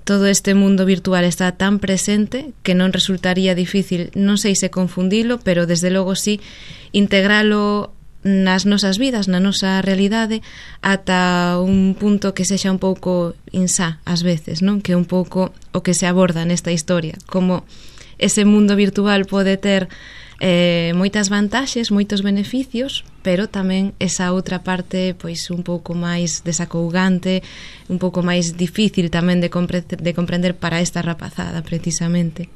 todo este mundo virtual está tan presente que non resultaría difícil, non sei se confundilo, pero desde logo sí integralo nas nosas vidas, na nosa realidade, ata un punto que sexa un pouco insá ás veces, non? Que é un pouco o que se aborda nesta historia, como ese mundo virtual pode ter moitas vantaxes, moitos beneficios, pero tamén esa outra parte pois un pouco máis desacougante, un pouco máis difícil tamén de comprender para esta rapazada precisamente.